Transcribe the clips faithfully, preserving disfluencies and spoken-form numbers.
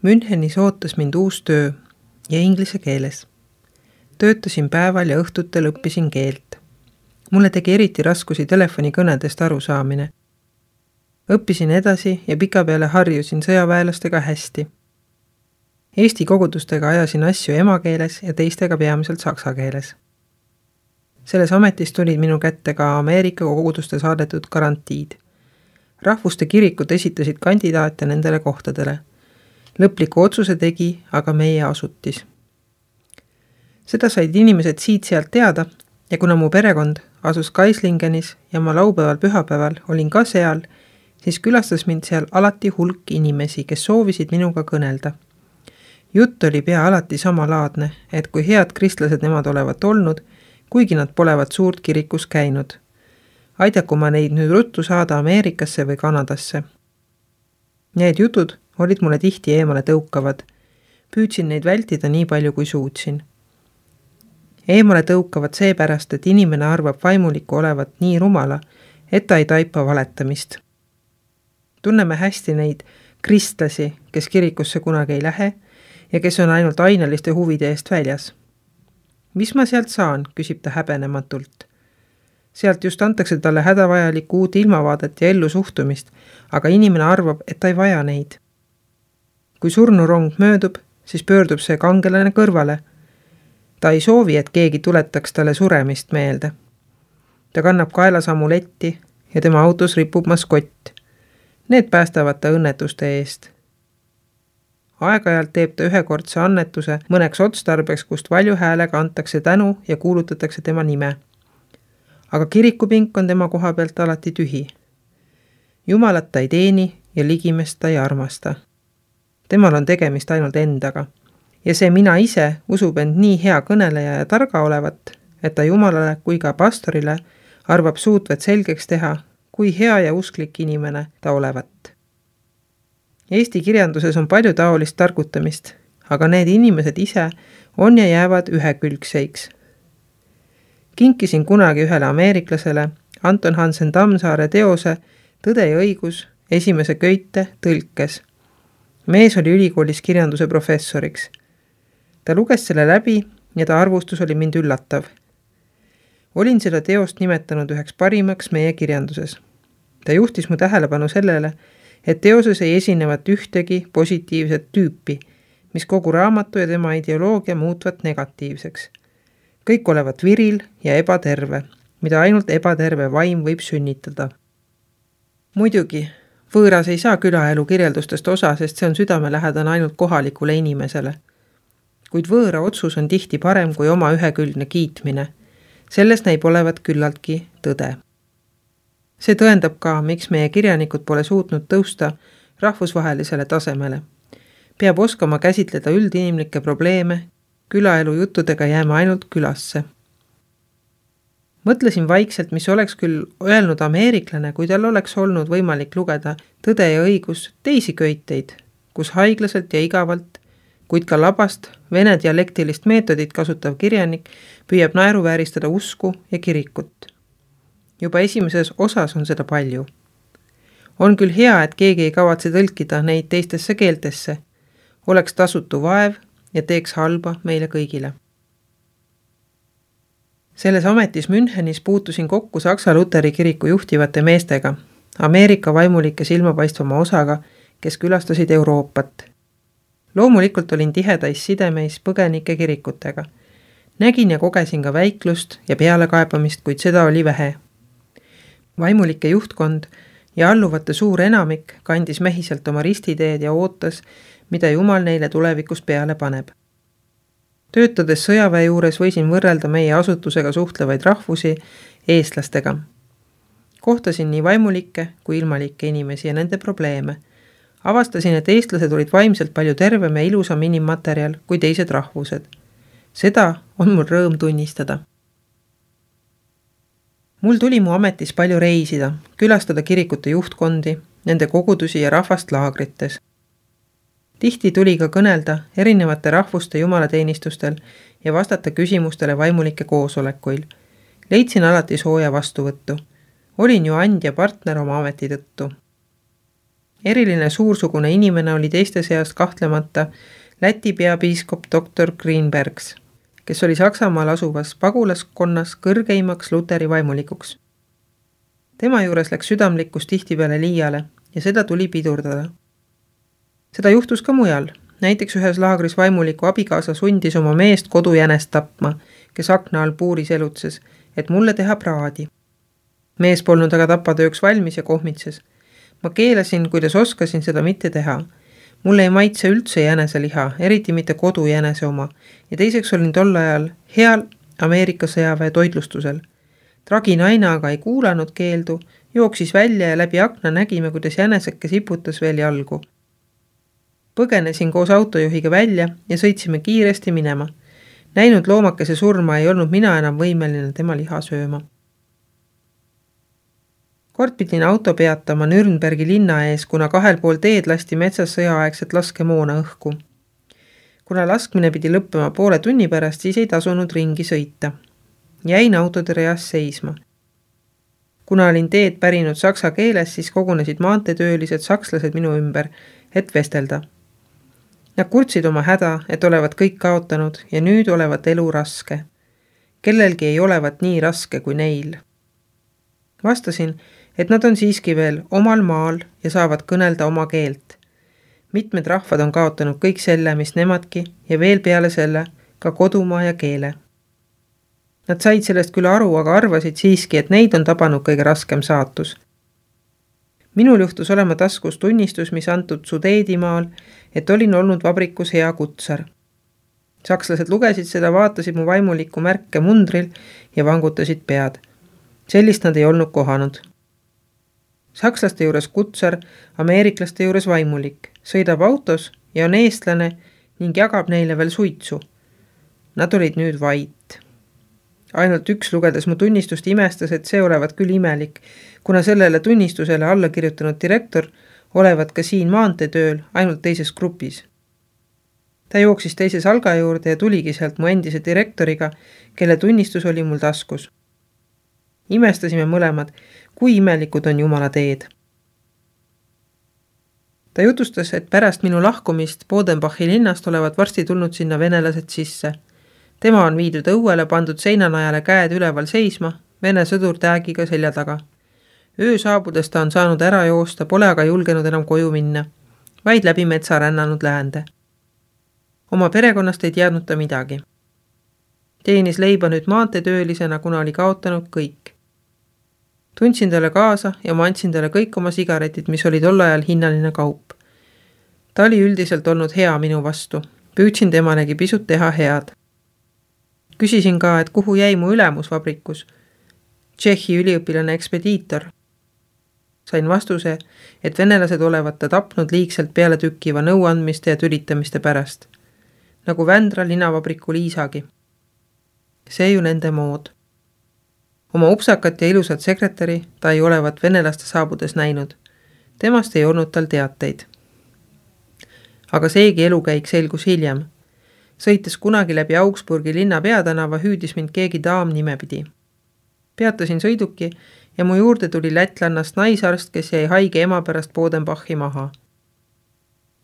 Münchenis ootas mind uus töö ja inglise keeles. Töötasin päeval ja õhtutel õppisin keelt. Mulle tegi eriti raskusi telefonikõnedest arusaamine. Õppisin edasi ja pikapeale harjusin sõjaväelastega hästi. Eesti kogudustega ajasin asju emakeeles ja teistega peamiselt saksa keeles. Selles ametis tulid minu kätte ka Ameerika koguduste saadetud garantiid. Rahvuste kirikud esitasid kandidaate nendele kohtadele. Lõpliku otsuse tegi aga meie asutis. Seda said inimesed siit-sealt teada ja kuna mu perekond asus Kaislingenis ja ma laupäeval pühapäeval olin ka seal, siis külastas mind seal alati hulk inimesi, kes soovisid minuga kõnelda. Jutt oli pea alati samalaadne, et kui head kristlased nemad olevat olnud, kuigi nad polevat suurt kirikus käinud. Aidaku ma neid nüüd ruttu saada Ameerikasse või Kanadasse. Need jutud olid mulle tihti eemale tõukavad. Püüdsin neid vältida nii palju kui suutsin. Eemale tõukavad seepärast, et inimene arvab vaimuliku olevat nii rumala, et ta ei taipa valetamist. Tunneme hästi neid kristlasi, kes kirikusse kunagi ei lähe ja kes on ainult aineliste huvide eest väljas. Mis ma sealt saan, küsib ta häbenematult. Sealt just antakse talle hädavajalikku uut ilmavaadet ja ellu suhtumist, aga inimene arvab, et ta ei vaja neid. Kui surnurong möödub, siis pöördub see kangelane kõrvale. Ta ei soovi, et keegi tuletaks talle suremist meelde. Ta kannab kaelas amuletti ja tema autos ripub maskott. Need päästavad ta õnnetuste eest. Aeg-ajalt teeb ta ühekordse annetuse mõneks otstarbeks, kust valju häälega antakse tänu ja kuulutatakse tema nime. Aga kirikupink on tema koha pealt alati tühi. Jumalat ta ei teeni ja ligimest ta ei armasta. Temal on tegemist ainult endaga. Ja see mina ise usub end nii hea kõneleja ja targa olevat, et ta Jumalale kui ka pastorile arvab suutvat selgeks teha, kui hea ja usklik inimene ta olevat. Eesti kirjanduses on palju taolist targutamist, aga need inimesed ise on ja jäävad ühekülgseiks. Kinkisin kunagi ühele ameeriklasele Anton Hansen Tammsaare teose Tõde ja õigus esimese köite tõlkes. Mees oli ülikoolis kirjanduse professoriks. Ta luges selle läbi ja ta arvustus oli mind üllatav. Olin seda teost nimetanud üheks parimaks meie kirjanduses. Ta juhtis mu tähelepanu sellele, et teoses ei esinevat ühtegi positiivset tüüpi, mis kogu raamatu ja tema ideoloogia muutvat negatiivseks. Kõik olevat viril ja ebaterve, mida ainult ebaterve vaim võib sünnitada. Muidugi, võõras ei saa külaelu kirjeldustest osa, sest see on südamelähedane ainult kohalikule inimesele. Kuid võõra otsus on tihti parem kui oma ühekülgne kiitmine. Selles näib olevat küllaltki tõde. See tõendab ka, miks meie kirjanikud pole suutnud tõusta rahvusvahelisele tasemele. Peab oskama käsitleda üldinimlikke probleeme, külaelu juttudega jääma ainult külasse. Mõtlesin vaikselt, mis oleks küll öelnud ameeriklane, kui tal oleks olnud võimalik lugeda Tõde ja õigus teisi köiteid, kus haiglaselt ja igavalt, kuid ka labast vene dialektilist meetodit kasutav kirjanik püüab naeruvääristada usku ja kirikut. Juba esimeses osas on seda palju. On küll hea, et keegi ei kavatse tõlkida neid teistesse keeltesse, oleks tasutu vaev ja teeks halba meile kõigile. Selles ametis Münchenis puutusin kokku Saksa Luteri kiriku juhtivate meestega, Ameerika vaimulike silmapaistvama osaga, kes külastasid Euroopat. Loomulikult olin tihedais sidemeis põgenike kirikutega. Nägin ja kogesin ka väiklust ja pealekaebamist, kuid seda oli vähe. Vaimulike juhtkond ja alluvate suur enamik kandis mehiselt oma ristiteed ja ootas, mida Jumal neile tulevikus peale paneb. Töötades sõjaväe juures võisin võrrelda meie asutusega suhtlevaid rahvusi eestlastega. Kohtasin nii vaimulikke kui ilmalikke inimesi ja nende probleeme. Avastasin, et eestlased olid vaimselt palju tervem ja ilusam inimmaterjal kui teised rahvused. Seda on mul rõõm tunnistada. Mul tuli mu ametis palju reisida, külastada kirikute juhtkondi, nende kogudusi ja rahvast laagrites. Tihti tuli ka kõnelda erinevate rahvuste jumalateenistustel ja vastata küsimustele vaimulike koosolekuil. Leidsin alati sooja vastuvõttu. Olin ju andja partner oma ameti tõttu. Eriline suursugune inimene oli teiste seast kahtlemata Läti peapiiskop doktor Greenbergs, kes oli Saksamaal asuvas pagulaskonnas kõrgeimaks luteri vaimulikuks. Tema juures läks südamlikkus tihtipeale liiale ja seda tuli pidurdada. Seda juhtus ka mujal. Näiteks ühes laagris vaimuliku abikaasa sundis oma meest kodujänest tapma, kes akna all puuris elutses, et mulle teha praadi. Mees polnud aga tapatööks valmis ja kohmitses. Ma keelasin, kuidas oskasin seda mitte teha. Mulle ei maitse üldse jäneseliha, eriti mitte kodujänese oma, ja teiseks olin tol ajal heal Ameerika sõjaväe toitlustusel. Tragi naine aga ei kuulanud keeldu, jooksis välja ja läbi akna nägime, kuidas jäneseke siputas veel jalgu. Põgenesin koos autojuhiga välja ja sõitsime kiiresti minema. Näinud loomakese surma ei olnud mina enam võimeline tema liha sööma. Kord pidin auto peatama Nürnbergi linna ees, kuna kahel pool teed lasti metsas sõjaaegset laskemoona õhku. Kuna laskmine pidi lõppema poole tunni pärast, siis ei tasunud ringi sõita. Jäin autode reas seisma. Kuna olin teed pärinud saksa keeles, siis kogunesid maanteetöölised sakslased minu ümber, et vestelda. Nad kurtsid oma häda, et olevat kõik kaotanud ja nüüd olevat elu raske. Kellelgi ei olevat nii raske kui neil. Vastasin, et nad on siiski veel omal maal ja saavad kõnelda oma keelt. Mitmed rahvad on kaotanud kõik selle, mis nemadki, ja veel peale selle ka kodumaa ja keele. Nad said sellest küll aru, aga arvasid siiski, et neid on tabanud kõige raskem saatus. Minul juhtus olema taskus tunnistus, mis antud Sudeedimaal, et olin olnud vabrikus hea kutsar. Sakslased lugesid seda, vaatasid mu vaimuliku märke mundril ja vangutasid pead. Sellist nad ei olnud kohanud. Sakslaste juures kutsar, ameeriklaste juures vaimulik, sõidab autos ja on eestlane ning jagab neile veel suitsu. Nad olid nüüd vait. Ainult üks lugedes mu tunnistust imestas, et see olevat küll imelik, kuna sellele tunnistusele alla kirjutanud direktor olevat ka siin maanteetööl ainult teises grupis. Ta jooksis teise salga juurde ja tuligi sealt mu endise direktoriga, kelle tunnistus oli mul taskus. Imestasime mõlemad, kui imelikud on Jumala teed. Ta jutustas, et pärast minu lahkumist Bodenbachi linnast olevat varsti tulnud sinna venelased sisse. Tema on viidud õuele, pandud seinanajale käed üleval seisma, vene sõdur täägiga selja taga. Öö saabudes ta on saanud ära joosta, pole aga julgenud enam koju minna, vaid läbi metsa rännanud läände. Oma perekonnast ei teadnud ta midagi. Teenis leiba nüüd maanteetöölisena, kuna oli kaotanud kõik. Tundsin talle kaasa ja ma andsin talle kõik oma sigaretid, mis oli tol ajal hinnaline kaup. Ta oli üldiselt olnud hea minu vastu. Püüdsin temalegi pisut teha head. Küsisin ka, et kuhu jäi mu ülemus vabrikus. Tšehhi üliõpilane ekspediitor. Sain vastuse, et venelased olevat ta tapnud liigselt peale tükkiva nõuandmiste ja tülitamiste pärast. Nagu Vändra linavabriku Liisagi. See ju nende mood. Oma upsakat ja ilusat sekretäri ta ei olevat venelaste saabudes näinud. Temast ei olnud tal teateid. Aga seegi elukäik selgus hiljem. Sõites kunagi läbi Augsburgi linna peatänava, hüüdis mind keegi daam nimepidi. Peatasin sõiduki ja mu juurde tuli lätlannast naisarst, kes jäi haige ema pärast Bodenbachi maha.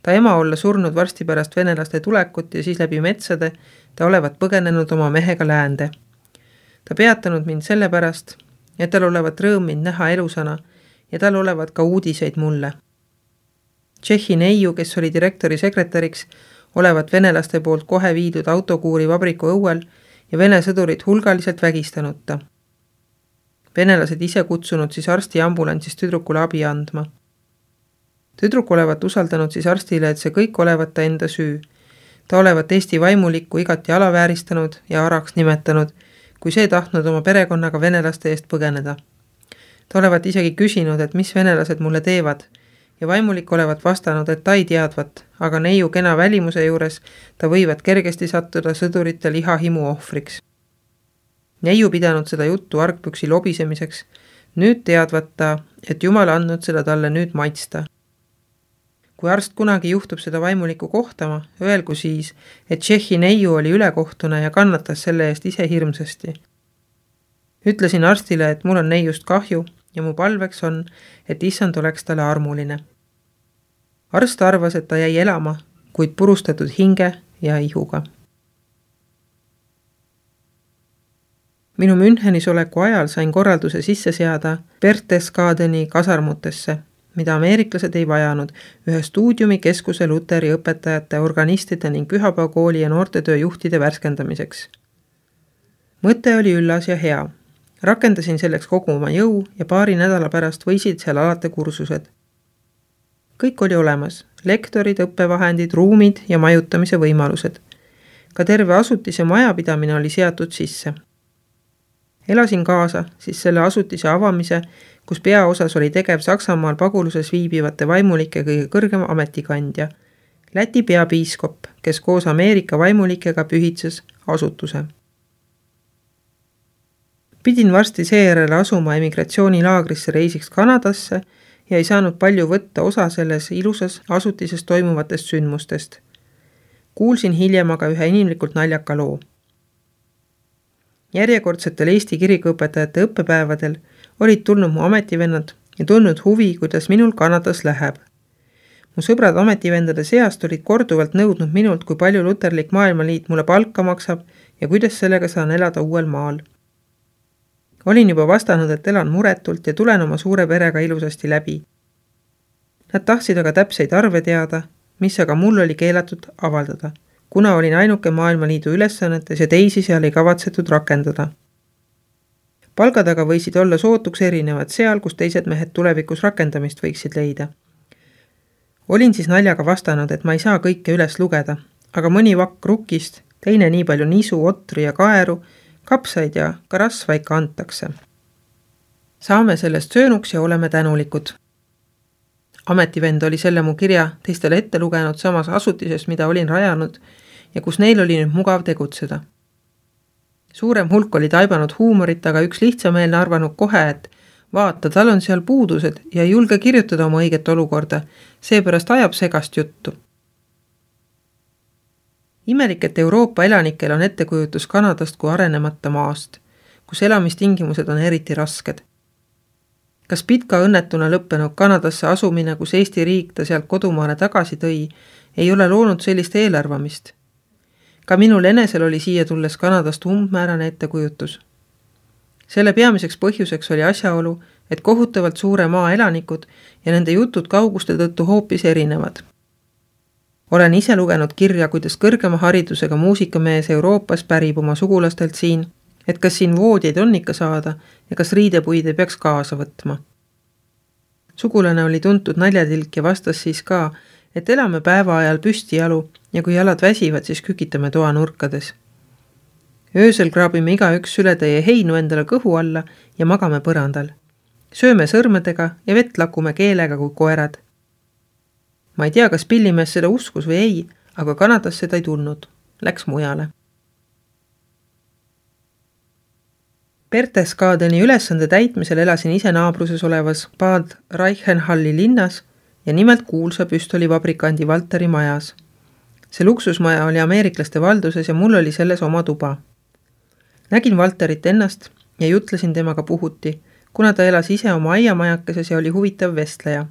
Ta ema olla surnud varsti pärast venelaste tulekut ja siis läbi metsade ta olevat põgenenud oma mehega läände. Ta peatanud mind selle pärast, et tal olevat rõõm mind näha elusana ja tal olevat ka uudiseid mulle. Tšehhi neiu, kes oli direktori sekretäriks, olevat venelaste poolt kohe viidud autokuuri vabriku õuel ja vene sõdurid hulgaliselt vägistanud ta. Venelased ise kutsunud siis arsti ambulansist tüdrukule abi andma. Tüdruk olevat usaldanud siis arstile, et see kõik olevat ta enda süü. Ta olevat Eesti vaimulikku igati alavääristanud ja araks nimetanud, kui see tahtnud oma perekonnaga venelaste eest põgeneda. Ta olevat isegi küsinud, et mis venelased mulle teevad, ja vaimulik olevat vastanud, et ta ei teadvat, aga neiu kena välimuse juures ta võivad kergesti sattuda sõdurite lihahimu ohvriks. Neiu pidanud seda juttu argpüksi lobisemiseks, nüüd teadvat ta, et Jumal andnud seda talle nüüd maitsta. Kui arst kunagi juhtub seda vaimulikku kohtama, öelgu siis, et Tšehhi neiu oli ülekohtune ja kannatas selle eest ise hirmsasti. Ütlesin arstile, et mul on neiust kahju ja mu palveks on, et issand oleks talle armuline. Arst arvas, et ta jäi elama, kuid purustatud hinge ja ihuga. Minu Münchenis oleku ajal sain korralduse sisse seada Berchtesgadeni kasarmutesse, mida ameeriklased ei vajanud, ühe stuudiumi keskuse Luteri õpetajate, organistide ning pühapäevakooli ja noortetöö juhtide värskendamiseks. Mõte oli üllas ja hea. Rakendasin selleks kogu oma jõu ja paari nädala pärast võisid seal alati kursused. Kõik oli olemas, lektorid, õppevahendid, ruumid ja majutamise võimalused. Ka terve asutise majapidamine oli seatud sisse. Elasin kaasa siis selle asutise avamise, kus peaosas oli tegev Saksamaal paguluses viibivate vaimulike kõige kõrgem ametikandja, Läti peapiiskop, kes koos Ameerika vaimulikega pühitses asutuse. Pidin varsti seejärel asuma emigratsioonilaagrisse reisiks Kanadasse ja ei saanud palju võtta osa selles ilusas asutises toimuvatest sündmustest. Kuulsin hiljem aga ühe inimlikult naljaka loo. Järjekordsetel Eesti kirikuõpetajate õppepäevadel olid tulnud mu ametivennad ja tulnud huvi, kuidas minul Kanadas läheb. Mu sõbrad ametivendade seast olid korduvalt nõudnud minult, kui palju Luterlik Maailmaliit mulle palka maksab ja kuidas sellega saan elada uuel maal. Olin juba vastanud, et elan muretult ja tulen oma suure perega ilusasti läbi. Nad tahtsid aga täpseid arve teada, mis aga mul oli keelatud avaldada, kuna olin ainuke Maailmaliidu ülesannetes ja teisi seal ei kavatsetud rakendada. Palgad aga võisid olla sootuks erinevad seal, kus teised mehed tulevikus rakendamist võiksid leida. Olin siis naljaga vastanud, et ma ei saa kõike üles lugeda, aga mõni vakk rukkist, teine nii palju nisu, otri ja kaeru, kapsaid ja ka rasva ikka antakse. Saame sellest söönuks ja oleme tänulikud. Ametivend oli selle mu kirja teistele ette lugenud samas asutisest, mida olin rajanud ja kus neil oli nüüd mugav tegutseda. Suurem hulk oli taibanud huumorit, aga üks lihtsameelne arvanud kohe, et vaata, tal on seal puudused ja ei julge kirjutada oma õiget olukorda, seepärast ajab segast juttu. Imelik, et Euroopa elanikel on ettekujutus Kanadast kui arenemata maast, kus elamistingimused on eriti rasked. Kas pitka õnnetuna lõppenud Kanadasse asumine, kus Eesti riik ta sealt kodumaale tagasi tõi, ei ole loonud sellist eelarvamist? Ka minul enesel oli siia tulles Kanadast umbmäärane ettekujutus. Selle peamiseks põhjuseks oli asjaolu, et kohutavalt suure maa elanikud ja nende jutud kauguste tõttu hoopis erinevad. Olen ise lugenud kirja, kuidas kõrgema haridusega muusikamees Euroopas pärib oma sugulastelt siin, et kas siin voodjeid on ikka saada ja kas riidepuid ei peaks kaasa võtma. Sugulane oli tuntud naljatilk ja vastas siis ka, et elame päeva ajal püsti jalu ja kui jalad väsivad, siis kükitame toa nurkades. Öösel kraabime igaüks sületäie heinu endale kõhu alla ja magame põrandal. Sööme sõrmedega ja vett lakume keelega kui koerad. Ma ei tea, kas pillimees seda uskus või ei, aga Kanadas seda ei tulnud. Läks mujale. Berchtesgadeni ülesande täitmisel elasin ise naabruses olevas Bad Reichenhalli linnas ja nimelt kuulsa püstolivabrikandi Valteri majas. See luksusmaja oli ameeriklaste valduses ja mul oli selles oma tuba. Nägin Valterit ennast ja jutlesin temaga puhuti, kuna ta elas ise oma aiamajakeses ja oli huvitav vestleja.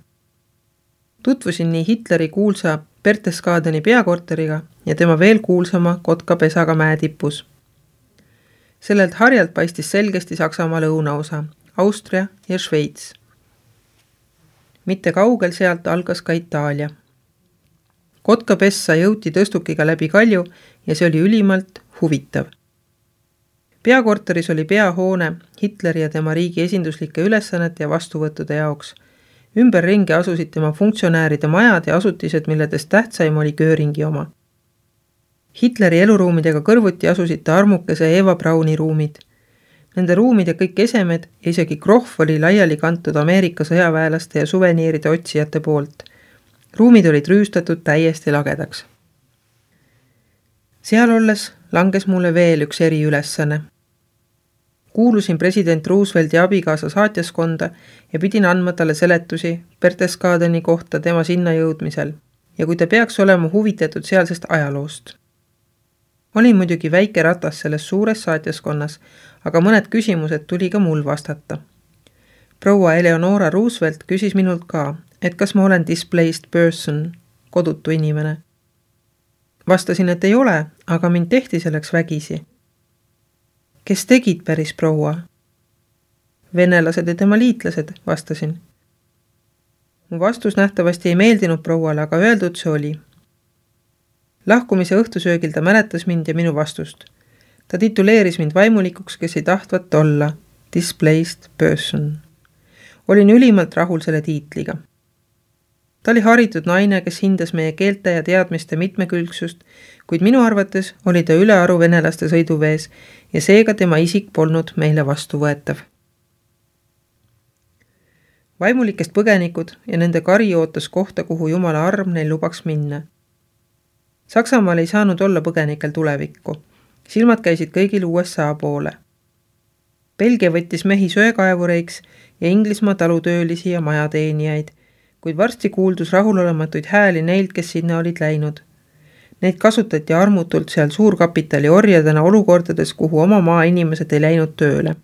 Tutvusin nii Hitleri kuulsa Berchtesgadeni peakorteriga ja tema veel kuulsama kotkapesaga mäetipus. Sellelt harjalt paistis selgesti Saksamaa lõunaosa, Austria ja Šveits. Mitte kaugel sealt algas ka Itaalia. Kotkapessa jõuti tõstukiga läbi kalju ja see oli ülimalt huvitav. Peakorteris oli peahoone Hitleri ja tema riigi esinduslike ülesannete ja vastuvõttude jaoks. Ümberringi asusid tema funktsionääride majad ja asutised, milledest tähtsaim oli Göringi oma. Hitleri eluruumidega kõrvuti asusid ta armukese Eva Brauni ruumid. Nende ruumide kõik esemed ja isegi krohv oli laiali kantud Ameerika sõjaväelaste ja suveniiride otsijate poolt. Ruumid olid rüüstatud täiesti lagedaks. Seal olles langes mulle veel üks eriülesanne. Kuulusin president Roosevelti abikaasa saatjaskonda ja pidin andma talle seletusi Berchtesgadeni kohta tema sinna jõudmisel ja kui ta peaks olema huvitatud sealsest ajaloost. Olin muidugi väike ratas selles suures saatjaskonnas, aga mõned küsimused tuli ka mul vastata. Proua Eleonora Roosevelt küsis minult ka, et kas ma olen displaced person, kodutu inimene. Vastasin, et ei ole, aga mind tehti selleks vägisi. Kes tegid päris proua? Venelased ja tema liitlased, vastasin. Mu vastus nähtavasti ei meeldinud prouale, aga öeldud see oli. Lahkumise õhtusöögil ta mäletas mind ja minu vastust. Ta tituleeris mind vaimulikuks, kes ei tahtvat olla displaced person. Olin ülimalt rahul selle tiitliga. Ta oli haritud naine, kes hindas meie keelte ja teadmiste mitmekülgsust, kuid minu arvates oli ta ülearu venelaste sõiduvees ja seega tema isik polnud meile vastuvõetav. Vaimulikest põgenikud ja nende kari ootas kohta, kuhu Jumala arm neil lubaks minna. Saksamaal ei saanud olla põgenikel tulevikku. Silmad käisid kõigil U S A poole. Belgia võttis mehi söekaevureiks ja Inglismaa talutöölisi ja majateenijaid, kuid varsti kuuldus rahulolematuid hääli neilt, kes sinna olid läinud. Neid kasutati armutult seal suurkapitali orjadena olukordades, kuhu oma maa inimesed ei läinud tööle.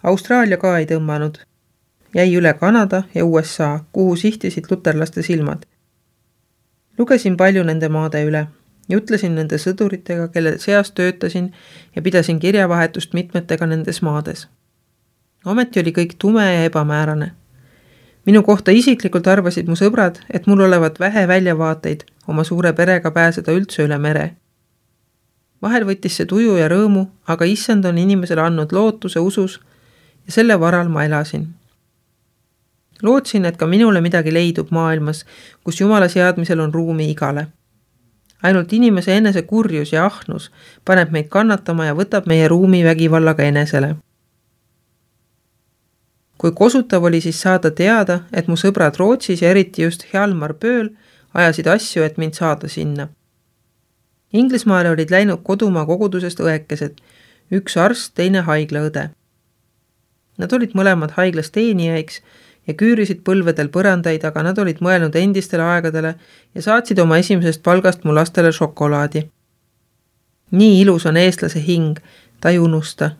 Austraalia ka ei tõmmanud. Jäi üle Kanada ja U S A, kuhu sihtisid luterlaste silmad. Lugesin palju nende maade üle ja ütlesin nende sõduritega, kelle seas töötasin ja pidasin kirjavahetust mitmetega nendes maades. Ometi oli kõik tume ja ebamäärane. Minu kohta isiklikult arvasid mu sõbrad, et mul olevat vähe väljavaateid oma suure perega pääseda üldse üle mere. Vahel võttis see tuju ja rõõmu, aga issand on inimesele andnud lootuse usus ja selle varal ma elasin. Lootsin, et ka minule midagi leidub maailmas, kus Jumala seadmisel on ruumi igale. Ainult inimese enese kurjus ja ahnus paneb meid kannatama ja võtab meie ruumi vägivallaga enesele. Kui kosutav oli siis saada teada, et mu sõbrad Rootsis ja eriti just Hjalmar Pööl ajasid asju, et mind saada sinna. Inglismaale olid läinud kodumaa kogudusest õekesed, üks arst, teine haiglaõde. Nad olid mõlemad haiglas teenijaiks ja küürisid põlvedel põrandaid, aga nad olid mõelnud endistele aegadele ja saatsid oma esimesest palgast mu lastele šokolaadi. Nii ilus on eestlase hing, ta ei unusta.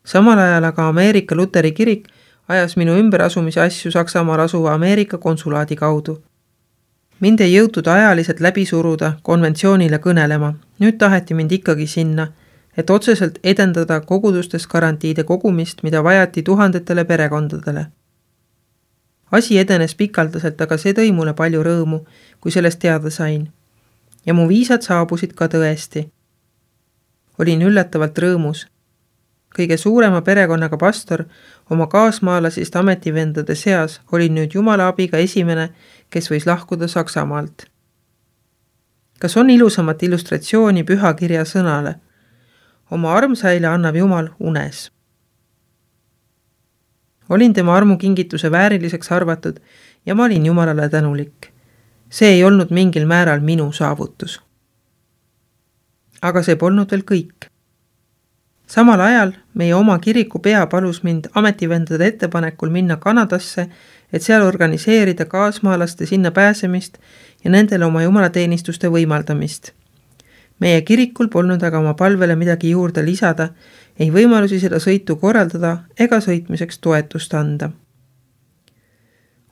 Samal ajal aga Ameerika Luteri kirik ajas minu ümberasumise asju Saksamaal asuva Ameerika konsulaadi kaudu. Mind ei jõutud ajaliselt läbi suruda konventsioonile kõnelema. Nüüd taheti mind ikkagi sinna, et otseselt edendada kogudustes garantiide kogumist, mida vajati tuhandetele perekondadele. Asi edenes pikaldaselt, aga see tõi mulle palju rõõmu, kui sellest teada sain. Ja mu viisad saabusid ka tõesti. Olin üllatavalt rõõmus. Kõige suurema perekonnaga pastor oma kaasmaalasist ametivendade seas oli nüüd Jumala abiga esimene, kes võis lahkuda Saksamaalt. Kas on ilusamat illustratsiooni pühakirja sõnale? Oma armsaile annab Jumal unes. Olin tema armu kingituse vääriliseks arvatud ja ma olin Jumalale tänulik. See ei olnud mingil määral minu saavutus. Aga see polnud veel kõik. Samal ajal meie oma kiriku pea palus mind ametivendade ettepanekul minna Kanadasse, et seal organiseerida kaasmaalaste sinna pääsemist ja nendele oma jumalateenistuste võimaldamist. Meie kirikul polnud aga oma palvele midagi juurde lisada, ei võimalusi seda sõitu korraldada ega sõitmiseks toetust anda.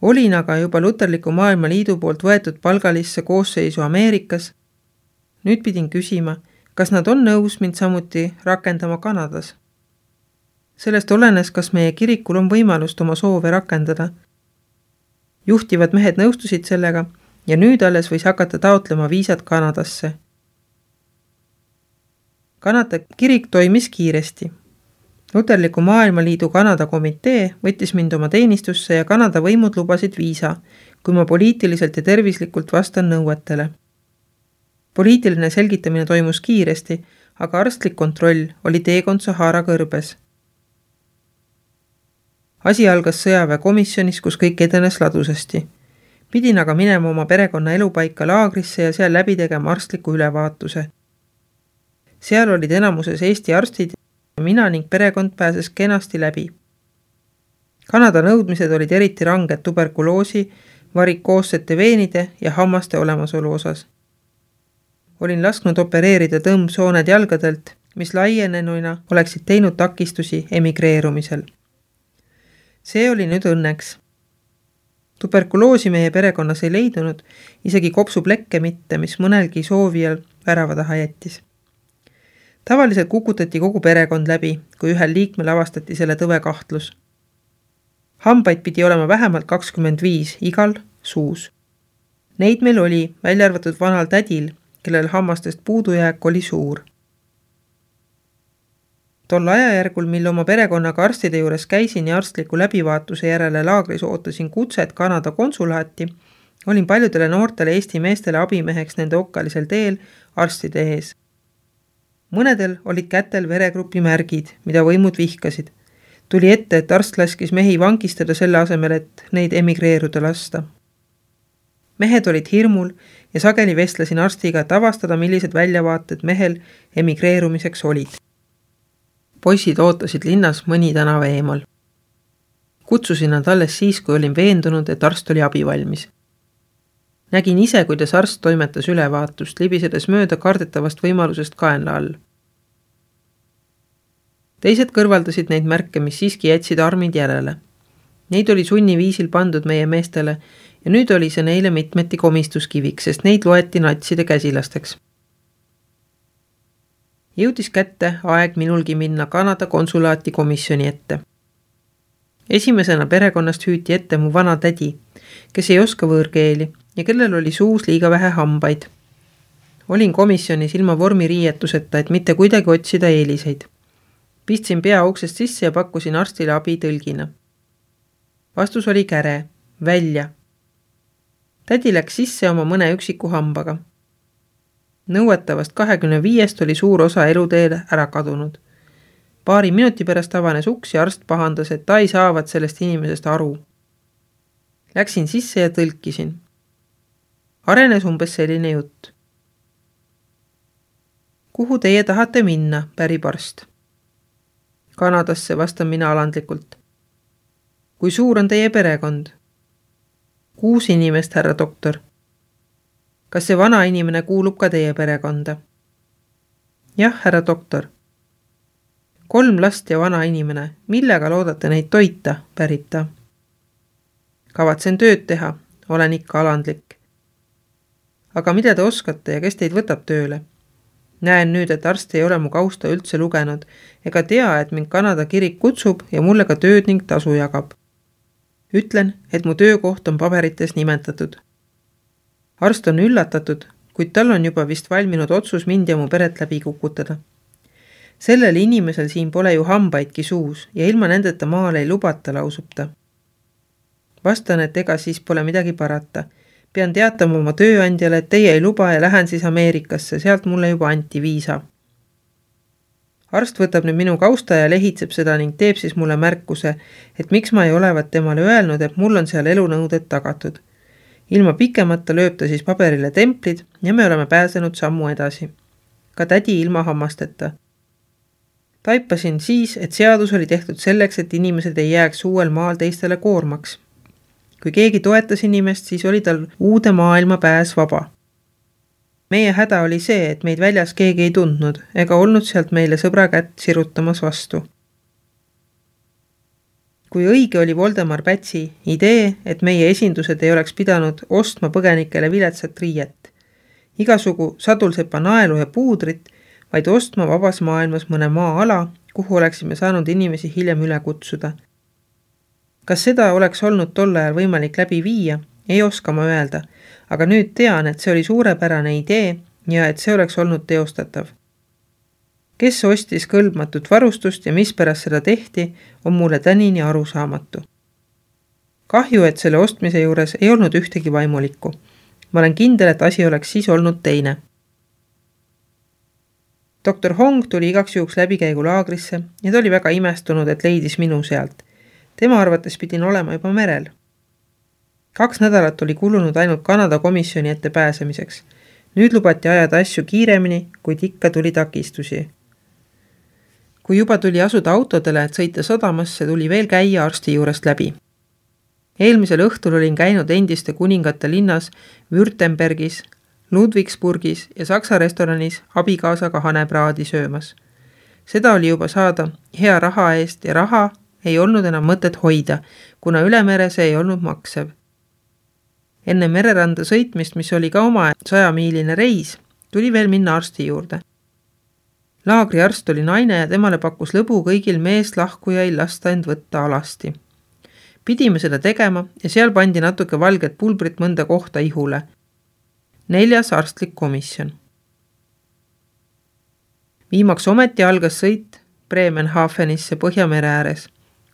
Olin aga juba Luterliku Maailma Liidu poolt võetud palgalisse koosseisu Ameerikas. Nüüd pidin küsima, kas nad on nõus mind samuti rakendama Kanadas. Sellest olenes, kas meie kirikul on võimalust oma soove rakendada. Juhtivad mehed nõustusid sellega ja nüüd alles võis hakata taotlema viisat Kanadasse. Kanada kirik toimis kiiresti. Luterliku Maailma Liidu Kanada komitee võttis mind oma teenistusse ja Kanada võimud lubasid viisa, kui ma poliitiliselt ja tervislikult vastan nõuetele. Poliitiline selgitamine toimus kiiresti, aga arstlik kontroll oli teekond Sahara kõrbes. Asi algas sõjaväekomisjonis, kus kõik edenes ladusasti. Pidin aga minema oma perekonna elupaika laagrisse ja seal läbi tegema arstliku ülevaatuse. Seal olid enamuses Eesti arstid ja mina ning perekond pääses kenasti läbi. Kanada nõudmised olid eriti ranged tuberkuloosi, varikoossete veenide ja hammaste olemasolu osas. Olin lasknud opereerida tõmbsooned jalgadelt, mis laienenuina oleksid teinud takistusi emigreerumisel. See oli nüüd õnneks. Tuberkuloosi meie perekonnas ei leidunud, isegi kopsuplekke mitte, mis mõnelgi soovijal värava taha jättis. Tavaliselt kukutati kogu perekond läbi, kui ühel liikmel avastati selle tõve kahtlus. Hambaid pidi olema vähemalt kakskümmend viis igal suus. Neid meil oli, välja arvatud vanal tädil, kellel hammastest puudujääk oli suur. Tol ajajärgul, mil oma perekonnaga arstide juures käisin ja arstliku läbivaatuse järele laagris ootasin kutset Kanada konsulaati, olin paljudele noortele Eesti meestele abimeheks nende okkalisel teel arstide ees. Mõnedel olid kätel veregrupi märgid, mida võimud vihkasid. Tuli ette, et arst laskis mehi vangistada selle asemel, et neid emigreeruda lasta. Mehed olid hirmul ja sageli vestlesin arstiga, et avastada, millised väljavaated mehel emigreerumiseks olid. Poisid ootasid linnas mõni tänava eemal. Kutsusin nad alles siis, kui olin veendunud, et arst oli abivalmis. Nägin ise, kuidas arst toimetas ülevaatust, libisedes mööda kardetavast võimalusest kaenla all. Teised kõrvaldasid neid märke, mis siiski jätsid armid järele. Neid oli sunniviisil pandud meie meestele ja nüüd oli see neile mitmeti komistuskiviks, sest neid loeti natside käsilasteks. Jõudis kätte aeg minulgi minna Kanada konsulaati komisjoni ette. Esimesena perekonnast hüüti ette mu vana tädi, kes ei oska võõrkeeli ja kellel oli suus liiga vähe hambaid. Olin komisjonis ilma vormiriietuseta, et mitte kuidagi otsida eeliseid. Pistsin pea uksest sisse ja pakkusin arstile abi tõlgina. Vastus oli käre, välja. Tädi läks sisse oma mõne üksiku hambaga. Nõuetavast kahekümne viiest oli suur osa eluteel ära kadunud. Paari minuti pärast avanes uks ja arst pahandas, et ta ei saavat sellest inimesest aru. Läksin sisse ja tõlkisin. Arenes umbes selline jutt. Kuhu teie tahate minna, pärib arst? Kanadasse, vastan mina alandlikult. Kui suur on teie perekond? Kuus inimest, härra doktor. Kas see vana inimene kuulub ka teie perekonda? Jah, härra doktor. Kolm last ja vana inimene. Millega loodate neid toita, pärib ta? Kavatsen tööd teha. Olen ikka alandlik. Aga mida te oskate ja kes teid võtab tööle? Näen nüüd, et arst ei ole mu kausta üldse lugenud ega tea, et mind Kanada kirik kutsub ja mulle ka tööd ning tasu jagab. Ütlen, et mu töökoht on paberites nimetatud. Arst on üllatatud, kuid tal on juba vist valminud otsus mind ja mu peret läbi kukutada. Sellel inimesel siin pole ju hambaidki suus ja ilma nendeta maale ei lubata, lausub ta. Vastan, et ega siis pole midagi parata. Pean teatama oma tööandjale, et teie ei luba ja lähen siis Ameerikasse, sealt mulle juba anti viisa. Arst võtab nüüd minu kausta ja lehitseb seda ning teeb siis mulle märkuse, et miks ma ei olevat temale öelnud, et mul on seal elunõuded tagatud. Ilma pikemata lööb ta siis paberile templid ja me oleme pääsenud sammu edasi. Ka tädi ilma hammasteta. Taipasin siis, et seadus oli tehtud selleks, et inimesed ei jääks uuel maal teistele koormaks. Kui keegi toetas inimest, siis oli tal uude maailma pääs vaba. Meie häda oli see, et meid väljas keegi ei tundnud ega olnud sealt meile sõbra kätt sirutamas vastu. Kui õige oli Voldemar Pätsi idee, et meie esindused ei oleks pidanud ostma põgenikele viletsat riiet, igasugu sadulsepa naelu ja puudrit, vaid ostma vabas maailmas mõne maa-ala, kuhu oleksime saanud inimesi hiljem üle kutsuda. Kas seda oleks olnud tol ajal võimalik läbi viia, ei oska ma öelda, aga nüüd tean, et see oli suurepärane idee ja et see oleks olnud teostatav. Kes ostis kõlbmatut varustust ja mispärast seda tehti, on mulle tänini arusaamatu. Kahju, et selle ostmise juures ei olnud ühtegi vaimulikku. Ma olen kindel, et asi oleks siis olnud teine. doktor Hong tuli igaks juhuks läbikäigu laagrisse ja ta oli väga imestunud, et leidis minu sealt. Tema arvates pidin olema juba merel. Kaks nädalat oli kulunud ainult Kanada komisjoni ette pääsemiseks. Nüüd lubati ajada asju kiiremini, kuid ikka tuli takistusi. Kui juba tuli asuda autodele, et sõita sadamasse, tuli veel käia arsti juurest läbi. Eelmisel õhtul olin käinud endiste kuningate linnas Württembergis, Ludwigsburgis ja Saksa restoranis abikaasaga hanepraadi söömas. Seda oli juba saada hea raha eest ja raha ei olnud enam mõtet hoida, kuna ülemere see ei olnud maksev. Enne mereranda sõitmist, mis oli ka oma sajamiiline reis, tuli veel minna arsti juurde. Laagri arst oli naine ja temale pakkus lõbu kõigil meest lahkujail lasta end võtta alasti. Pidime seda tegema ja seal pandi natuke valget pulbrit mõnda kohta ihule. Neljas arstlik komisjon. Viimaks ometi algas sõit Bremenhavenisse Põhjamere ääres,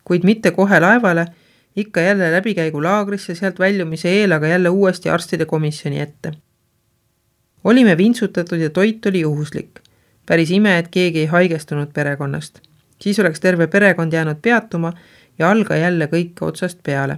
kuid mitte kohe laevale, ikka jälle läbikäigu laagrisse, sealt väljumise eel, aga jälle uuesti arstide komisjoni ette. Olime vintsutatud ja toit oli juhuslik. Päris ime, et keegi ei haigestunud perekonnast. Siis oleks terve perekond jäänud peatuma ja alga jälle kõik otsast peale.